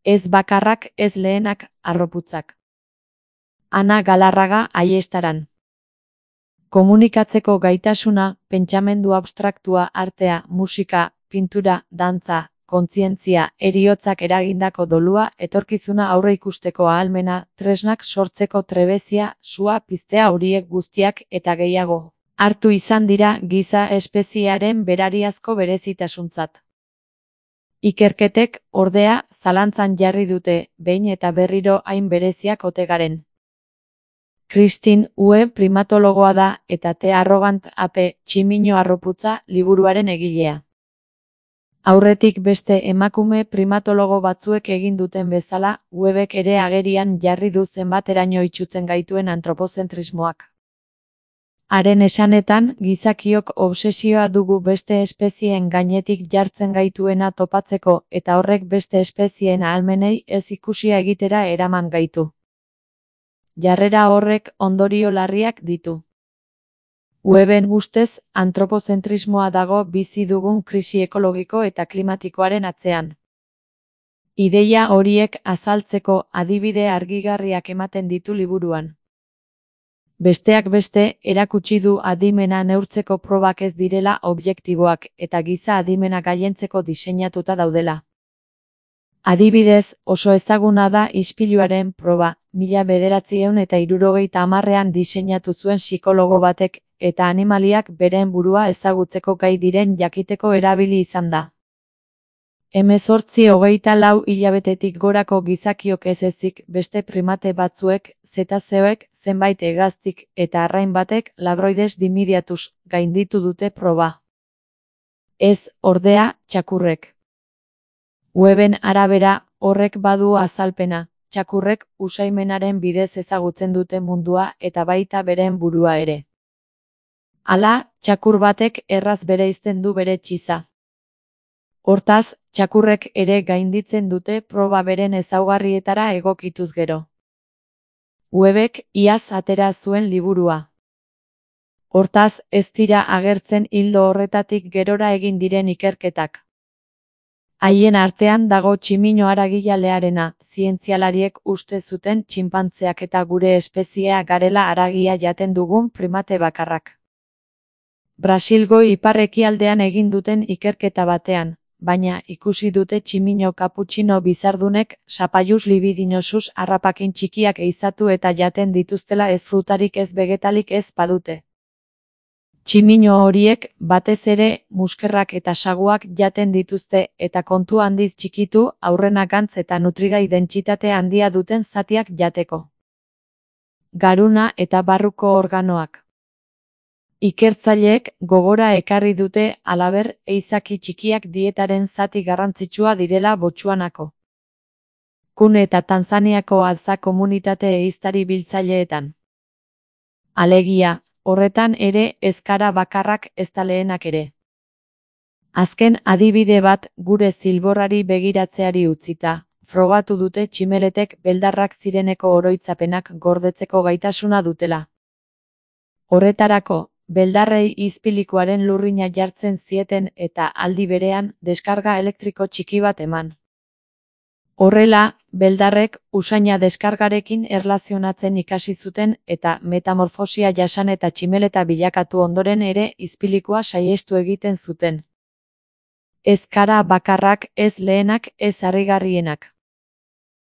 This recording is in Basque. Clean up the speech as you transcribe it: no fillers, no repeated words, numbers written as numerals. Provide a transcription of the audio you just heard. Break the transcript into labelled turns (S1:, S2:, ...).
S1: Ez bakarrak, ez lehenak, harroputzak. Ana Galarraga Aiestaran. Komunikatzeko gaitasuna, pentsamendu abstraktua, artea, musika, pintura, dantza, kontzientzia, heriotzak eragindako dolua, etorkizuna aurre ikusteko ahalmena, tresnak sortzeko trebezia, sua piztea horiek guztiak eta gehiago hartu izan dira giza espeziearen berariazko berezitasuntzat. Ikerketek, ordea, zalantzan jarri dute, behin eta berriro hain bereziak ote garen. Christine Ue primatologoa da eta The Arrogant Ape, tximino harroputza liburuaren egilea. Aurretik beste emakume primatologo batzuek egin duten bezala, Uebek ere agerian jarri du zenbateraino itsutzen gaituen antropozentrismoak. Haren esanetan, gizakiok obsesioa dugu beste espezieen gainetik jartzen gaituena topatzeko eta horrek beste espezieen ahalmenei ez ikusia egitera eraman gaitu. Jarrera horrek ondorio larriak ditu. Ueben ustez, antropozentrismoa dago bizi dugun krisi ekologiko eta klimatikoaren atzean. Ideia horiek azaltzeko adibide argigarriak ematen ditu liburuan. Besteak beste, erakutsi du adimena neurtzeko probak ez direla objektiboak eta giza adimena gailentzeko diseinatuta daudela. Adibidez, oso ezaguna da ispiluaren proba, 1970ean diseinatu zuen psikologo batek, eta animaliak beren burua ezagutzeko gai diren jakiteko erabili izan da. 18-24 hilabetetik gorako gizakiok ez ezik, beste primate batzuek, zetazeoek, zenbait hegaztik eta arrain batek labroides dimidiatuz gainditu dute proba. Ez, ordea, txakurrek. Ueben arabera, horrek badu azalpena, txakurrek usaimenaren bidez ezagutzen dute mundua eta baita beren burua ere. Hala, txakur batek erraz bereizten du bere txiza. Hortaz, txakurrek ere gainditzen dute proba beren ezaugarrietara egokituz gero. Uebek iaz atera zuen liburua. Hortaz, ez dira agertzen ildo horretatik gerora egin diren ikerketak. Haien artean dago tximino haragijalearena, zientzialariek uste zuten txinpantzeak eta gure espeziea garela haragia jaten dugun primate bakarrak. Brasilgo ipar-ekialdean egin duten ikerketa batean, baina ikusi dute tximino kaputxino bizardunek Sapaius libidinosus harrapakin txikiak ehizatu eta jaten dituztela ez frutarik ez vegetalik ez badute. Tximino horiek, batez ere, muskerrak eta saguak jaten dituzte eta kontu handiz txikitu, aurrenakantz eta nutrigai dentsitate handia duten zatiak jateko. Garuna eta barruko organoak. Ikertzaileek gogora ekarri dute halaber ehizaki txikiak dietaren zati garrantzitsua direla Botsuanako, Kun eta Tanzaniako altza komunitate ehiztari biltzaileetan. Alegia, horretan ere ezkara bakarrak ezta lehenak ere. Azken adibide bat gure zilborrari begiratzeari utzita, frogatu dute tximeletek beldarrak zireneko oroitzapenak gordetzeko gaitasuna dutela. Horretarako, beldarrei izpilikuaren lurrina jartzen zieten eta aldi berean deskarga elektriko txiki bat eman. Horrela, beldarrek usaina deskargarekin erlazionatzen ikasi zuten eta metamorfosia jasan eta tximeleta bilakatu ondoren ere izpilikua saihestu egiten zuten. Ez kara bakarrak, ez lehenak, ez harrigarrienak.